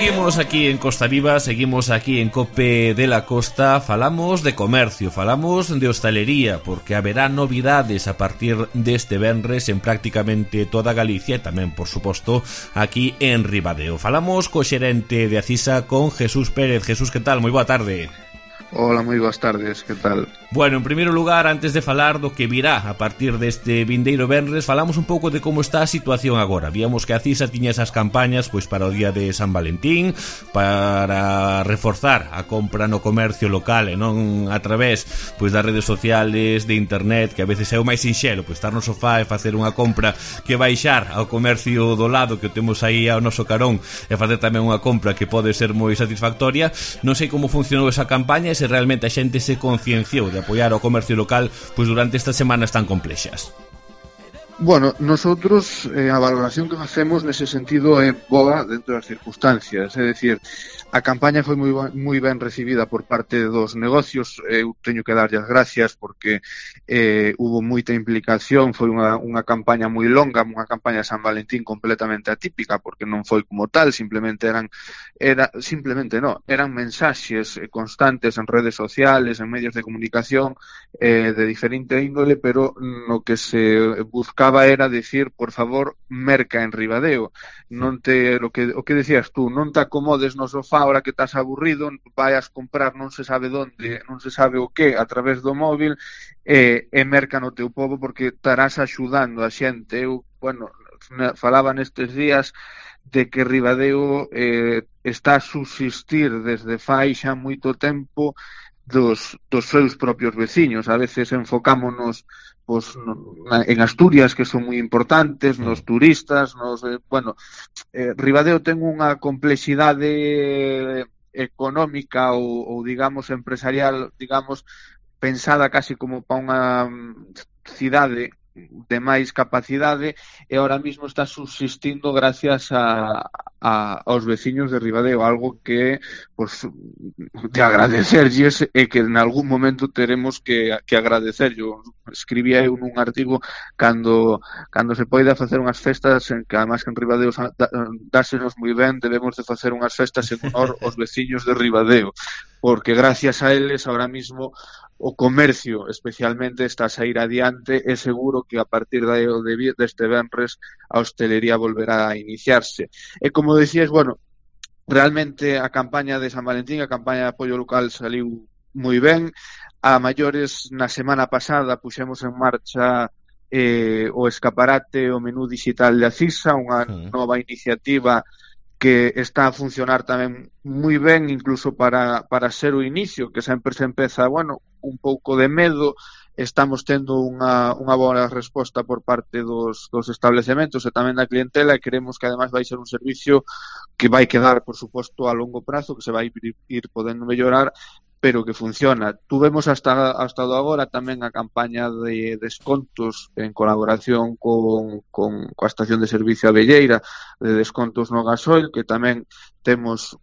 Seguimos aquí en Costa Viva, seguimos aquí en Cope de la Costa. Falamos de comercio, falamos de hostalería, porque haberá novidades a partir deste venres en prácticamente toda Galicia e tamén, por suposto, aquí en Ribadeo. Falamos co xerente de Acisa, con Jesús Pérez. Jesús, que tal? Moi boa tarde. Hola, moi boas tardes, que tal? Bueno, en primeiro lugar, antes de falar do que virá a partir deste vindeiro venres, falamos un pouco de como está a situación agora. Víamos que a Cisa tiña esas campañas pois para o día de San Valentín, para reforzar a compra no comercio local e non a través pois das redes sociales, de internet, que a veces é o máis sinxelo, pois estar no sofá e facer unha compra que baixar ao comercio do lado que o temos aí ao noso carón e facer tamén unha compra que pode ser moi satisfactoria. Non sei como funcionou esa campaña e se realmente a xente se concienciou de apoiar o comercio local pois durante estas semanas tan complexas. Bueno, nosotros a valoración que facemos nese sentido é boa dentro das circunstancias, é dicir, a campaña foi moi ben recibida por parte dos negocios. Eu teño que darlle as gracias porque hubo moita implicación, foi unha campaña moi longa, unha campaña de San Valentín completamente atípica, porque non foi como tal, eran mensaxes constantes en redes sociales, en medios de comunicación de diferente índole, pero no que se buscaba era decir, por favor, merca en Ribadeo. Non te, o que decías tú, non te acomodes no sofá ahora que estás aburrido, vayas comprar non se sabe onde, non se sabe o que, a través do móvil, e merca no teu pobo, porque estarás axudando a xente. Eu, falaba nestes días de que Ribadeo está a subsistir desde fai xa moito tempo dos seus propios veciños. A veces enfocámonos en Asturias, que son moi importantes, nos turistas, Ribadeo ten unha complexidade económica ou digamos empresarial, digamos, pensada casi como para unha cidade de máis capacidade, e ahora mismo está subsistindo gracias aos veciños de Ribadeo, algo que de agradecerlles e que en algún momento teremos que agradecer. Yo escribía nun artigo cando se poida facer unhas festas, en que además en Ribadeo dásenos moi ben, debemos de facer unhas festas en honor aos veciños de Ribadeo, porque gracias a eles ahora mismo o comercio especialmente está a sair adiante, e seguro que a partir deste venres a hostelería volverá a iniciarse. E como decías, realmente a campaña de San Valentín, a campaña de apoio local saliu moi ben. A maiores, na semana pasada puxemos en marcha o escaparate, o menú digital de Acisa, unha nova iniciativa que está a funcionar tamén moi ben, incluso para ser o inicio, que sempre se empeza, un pouco de medo. Estamos tendo unha boa resposta por parte dos establecementos e tamén da clientela, e queremos que ademais vai ser un servicio que vai quedar, por suposto, a longo prazo, que se vai ir podendo mellorar, pero que funciona. Tuvemos hasta agora tamén a campaña de descontos en colaboración coa estación de servicio Abelleira, de descontos no gasoil, que tamén temos,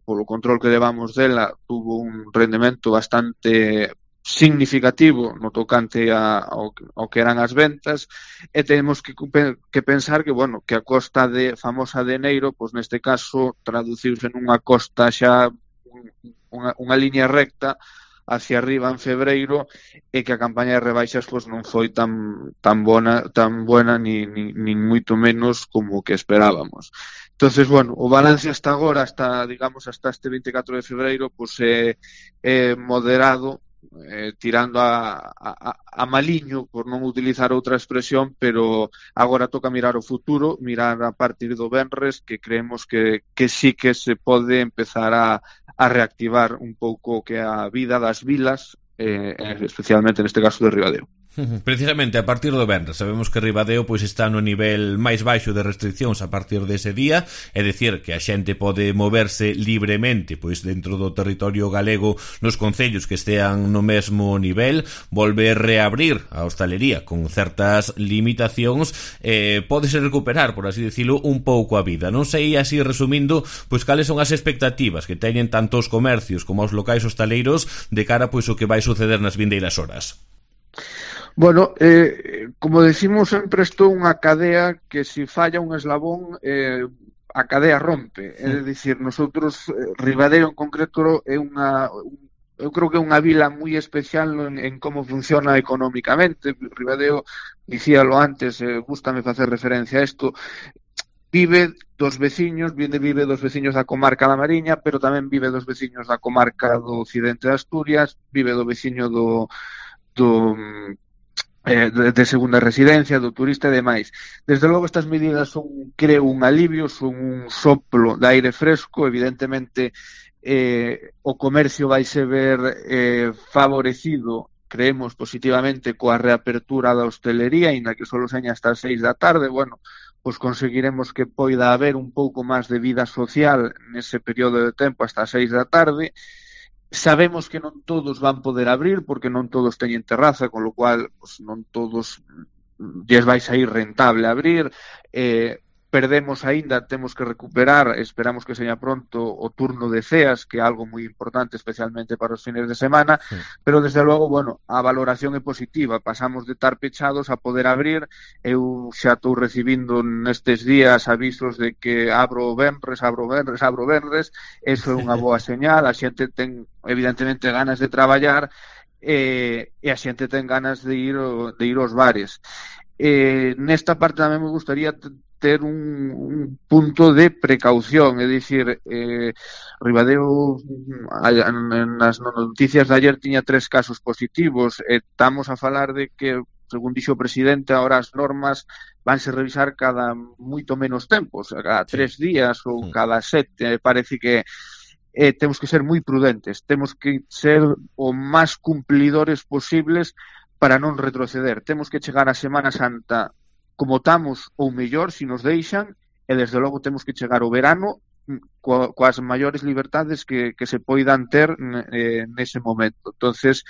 polo control que levamos dela, tuvo un rendemento bastante significativo no tocante ao que eran as ventas, e temos que pensar que, que a costa famosa de Eneiro, pois neste caso traduciuse nunha costa xa unha liña recta hacia arriba en febreiro, e que a campaña de rebaixas non foi tan buena nin moito menos como que esperábamos. Entonces, o balance hasta agora, hasta este 24 de febreiro, é moderado, tirando a maliño, por non utilizar outra expresión, pero agora toca mirar o futuro, mirar a partir do venres, que creemos que sí que se pode empezar a reactivar un pouco que a vida das vilas, especialmente neste caso de Ribadeo. Precisamente a partir do venres sabemos que Ribadeo pois está no nivel máis baixo de restriccións a partir dese día, é dicir que a xente pode moverse libremente pois dentro do territorio galego nos concellos que estean no mesmo nivel. Volve reabrir a hostalería con certas limitacións, pódese recuperar, por así dicilo, un pouco a vida. Non sei, así resumindo, pois cales son as expectativas que teñen tanto os comercios como os locais hostaleiros de cara pois o que vai suceder nas vindeiras horas. Como decimos sempre, isto é unha cadea que se falla un eslabón a cadea rompe, é dicir, nosotros Ribadeo en concreto é eu creo que é unha vila moi especial en como funciona económicamente. Ribadeo, dicíalo antes, gústame facer referencia a isto, vive dos veciños da comarca da Mariña, pero tamén vive dos veciños da comarca do occidente de Asturias, vive do veciño de segunda residencia, do turista e demais. Desde logo estas medidas son, creo, un alivio, son un soplo de aire fresco. Evidentemente o comercio vai se ver favorecido, creemos positivamente, coa reapertura da hostelería, inda que só seña hasta as 6 da tarde. Bueno, pois conseguiremos que poida haber un pouco máis de vida social nese período de tempo hasta as 6 da tarde. Sabemos que non todos van poder abrir, porque non todos teñen terraza, con lo cual pues, non todos lles vai sair rentable abrir. Perdemos aínda, temos que recuperar, esperamos que seña pronto, o turno de ceas, que é algo moi importante, especialmente para os fines de semana, pero desde logo, bueno, a valoración é positiva, pasamos de estar pechados a poder abrir. Eu xa estou recibindo nestes días avisos de que abro venres, eso é unha boa señal, a xente ten evidentemente ganas de traballar e a xente ten ganas de ir aos bares. Nesta parte tamén me gustaría ter un punto de precaución, é dicir, Ribadeo nas noticias de ayer tiña 3 casos positivos, estamos a falar de que, según dixo o presidente, ahora as normas vanse revisar cada moito menos tempos, cada 3 días ou cada 7, parece que temos que ser moi prudentes, temos que ser o máis cumplidores posibles para non retroceder. Temos que chegar a Semana Santa como estamos ou mellor, se nos deixan, e desde logo temos que chegar ao verano coas maiores libertades que se poidan ter nese momento. Entonces,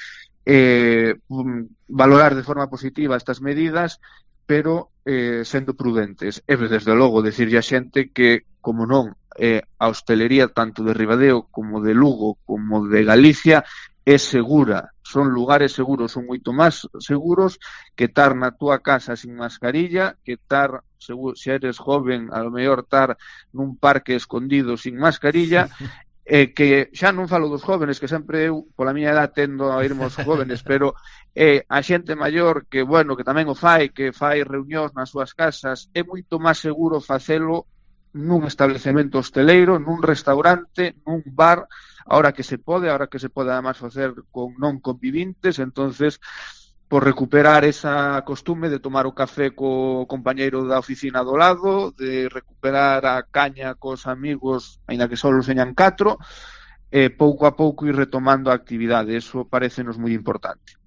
valorar de forma positiva estas medidas, pero sendo prudentes. E desde logo decirlle a xente que, como non, a hostelería tanto de Ribadeo como de Lugo como de Galicia é segura, son lugares seguros, son moito máis seguros que estar na túa casa sin mascarilla, que estar, se eres joven, a lo mellor estar nun parque escondido sin mascarilla, que xa non falo dos jóvenes, que sempre eu, pola miña edad, tendo a irmos jóvenes, pero a xente maior que, bueno, que tamén o fai, que fai reunións nas súas casas, é moito máis seguro facelo nun establecemento hosteleiro, nun restaurante, nun bar, ahora que se pode además facer con non convivintes. Entonces, por recuperar esa costume de tomar o café co compañeiro da oficina do lado, de recuperar a caña cos amigos, aínda que só señan 4, pouco a pouco ir retomando a actividade, eso parecenos moi importante.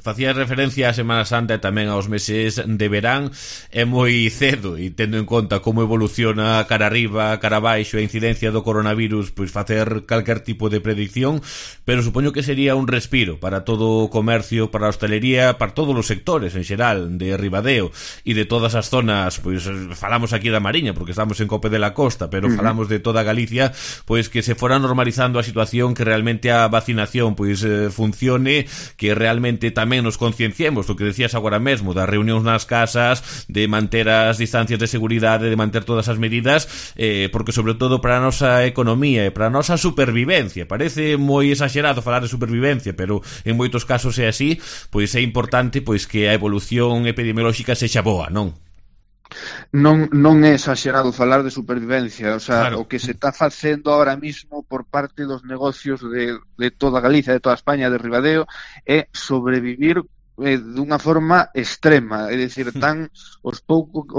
Facía referencia á Semana Santa e tamén aos meses de verán. É moi cedo, e tendo en conta como evoluciona cara arriba, cara abaixo a incidencia do coronavirus, pois facer calquer tipo de predicción, pero supoño que sería un respiro para todo o comercio, para a hostelería, para todos os sectores en xeral de Ribadeo e de todas as zonas. Pois falamos aquí da Mariña porque estamos en Cope de la Costa, pero falamos de toda Galicia, pois que se fora normalizando a situación, que realmente a vacinación pois funcione, que realmente tamén nos concienciemos do que decías agora mesmo, das reunións nas casas, de manter as distancias de seguridade, de manter todas as medidas, porque sobre todo para a nosa economía e para a nosa supervivencia, parece moi exagerado falar de supervivencia, pero en moitos casos é así, pois é importante pois que a evolución epidemiolóxica sexa boa, non? Non é exagerado falar de supervivencia, o sea, claro. O que se está facendo ahora mismo por parte dos negocios de toda Galicia, de toda España, de Ribadeo, é sobrevivir dunha forma extrema, é dicir, o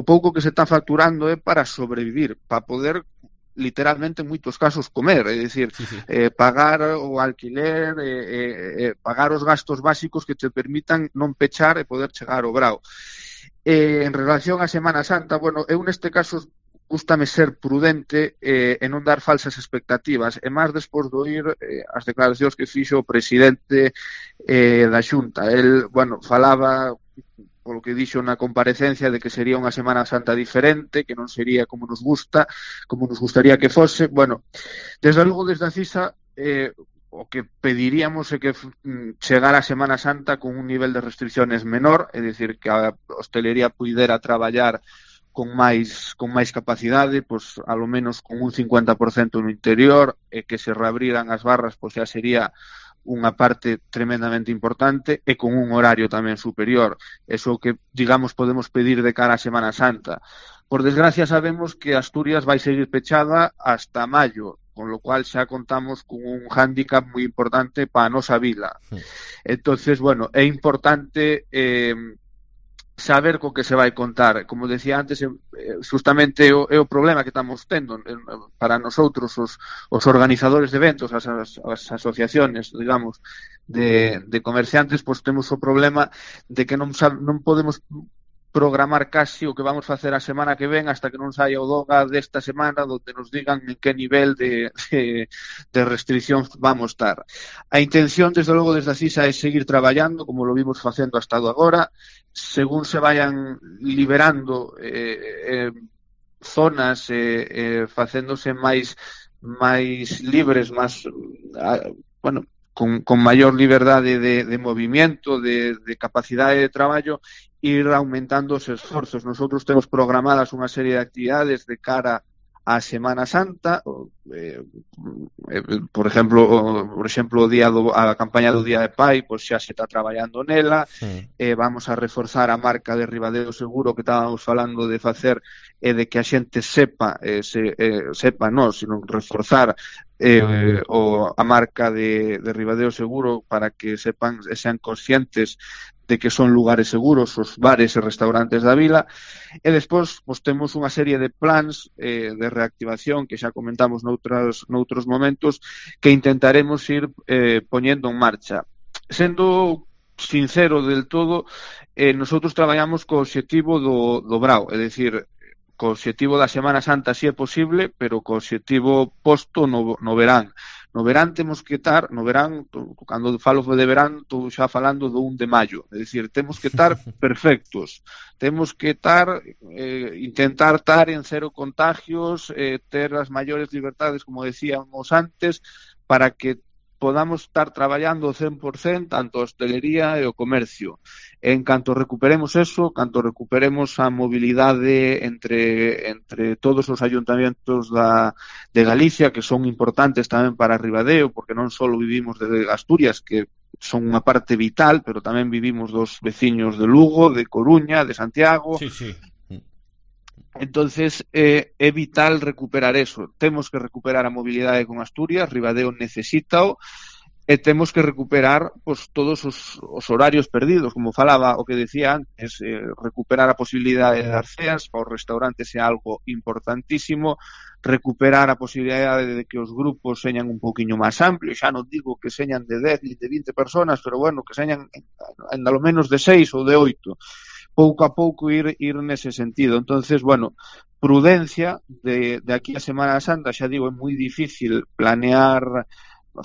pouco que se está facturando é para sobrevivir, para poder literalmente en moitos casos comer, é dicir, pagar o alquiler, pagar os gastos básicos que te permitan non pechar e poder chegar ao brao. En relación á Semana Santa, bueno, eu neste caso gústame ser prudente e non dar falsas expectativas, e máis despois de oír as declaracións que fixo o presidente da Xunta. El, bueno, falaba, polo que dixo na comparecencia, de que sería unha Semana Santa diferente, que non sería como nos gustaría que fose. Bueno, desde logo, desde a CISA, o que pediríamos é que chegara a Semana Santa con un nivel de restricciones menor, é dicir, que a hostelería puidera traballar con máis capacidade, pois alo menos con un 50% no interior, e que se reabriran as barras, pois xa sería unha parte tremendamente importante, e con un horario tamén superior. Eso que, digamos, podemos pedir de cara a Semana Santa. Por desgracia, sabemos que Asturias vai seguir pechada hasta maio, con lo cual xa contamos con un hándicap moi importante para a nosa vila. Entonces, bueno, é importante saber co que se vai contar. Como decía antes, justamente é o problema que estamos tendo para nosotros os organizadores de eventos, as asociaciones, digamos, de comerciantes, pois temos o problema de que non podemos programar casi o que vamos facer a semana que ven hasta que non saia o DOGA desta semana, donde nos digan en que nivel de restricción vamos estar. A intención, desde logo, desde a CISA é seguir traballando, como lo vimos facendo hasta agora, según se vayan liberando zonas, facéndose máis libres, máis, bueno, con maior liberdade de movimiento, de capacidade de traballo, ir aumentando os esforzos. Nosotros temos programadas unha serie de actividades de cara a Semana Santa, por exemplo, a campaña do Día de Pai, pois xa se está traballando nela. Vamos a reforzar a marca de Ribadeo Seguro que estábamos falando de facer, de que a xente sepa non, sino reforzar a marca de Ribadeo Seguro para que sepan e sean conscientes de que son lugares seguros os bares e restaurantes da vila. E despois temos unha serie de plans de reactivación que xa comentamos noutros momentos, que intentaremos ir poñendo en marcha. Sendo sincero del todo, nosotros traballamos co obxectivo do brao, é dicir, co obxectivo da Semana Santa si é posible, pero co obxectivo posto no verán. No verán temos que estar, cando falo de verán, estou xa falando do 1 de maio, é dicir, temos que estar perfectos, temos que intentar estar en cero contagios, ter as maiores libertades, como decíamos antes, para que podamos estar traballando ao 100%, tanto a hostelería e o comercio. En canto recuperemos eso, canto recuperemos a mobilidade entre todos os ayuntamientos de Galicia, que son importantes tamén para Ribadeo, porque non só vivimos de Asturias, que son unha parte vital, pero tamén vivimos dos veciños de Lugo, de Coruña, de Santiago. Sí. Entonces, é vital recuperar eso. Temos que recuperar a mobilidade con Asturias, Ribadeo necesítao, e temos que recuperar todos os horarios perdidos, como falaba o que decía antes, recuperar a posibilidade de dar ceas para os restaurantes é algo importantísimo, recuperar a posibilidade de que os grupos señan un poquinho máis amplios, xa non digo que señan de 10 ni de 20 personas, pero bueno, que señan en lo menos de 6 ou de 8, pouco a pouco ir nese sentido. Entonces, bueno, prudencia de aquí a Semana Santa, xa digo, é moi difícil planear,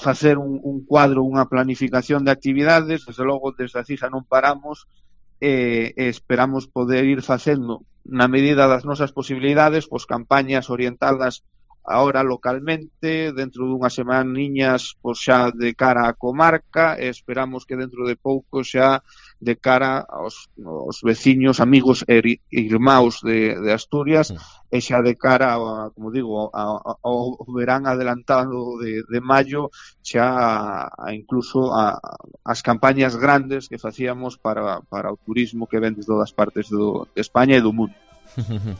facer un cuadro, unha planificación de actividades. Desde logo, desde a CISA non paramos, e esperamos poder ir facendo, na medida das nosas posibilidades, campañas orientadas ahora localmente, dentro dunhas semaniñas xa de cara á comarca, e esperamos que dentro de pouco xa de cara aos veciños, amigos e irmãos de Asturias, e xa de cara, como digo, ao verán adelantado de maio, xa incluso as campañas grandes que facíamos para o turismo que ven de todas partes de España e do mundo.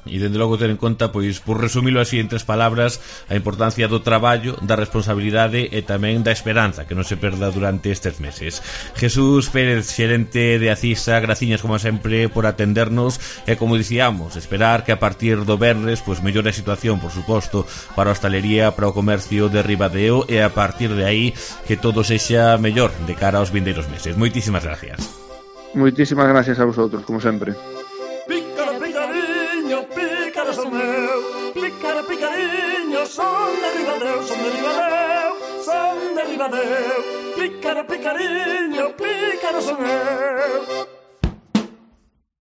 E dende logo ter en conta, pois, por resumilo así en 3 palabras, a importancia do traballo, da responsabilidade e tamén da esperanza, que non se perda durante estes meses. Jesús Pérez, xerente de Acisa, graciñas como sempre por atendernos, e como dicíamos, esperar que a partir do venres pois mellore a situación, por suposto, para a hostalería, para o comercio de Ribadeo, e a partir de aí que todo sexa mellor de cara aos vindeiros meses. Moitísimas gracias. Moitísimas gracias a vosotros, como sempre. Picariño, son de Ribadeo, son de Ribadeo. Picariño, pícaro son eu.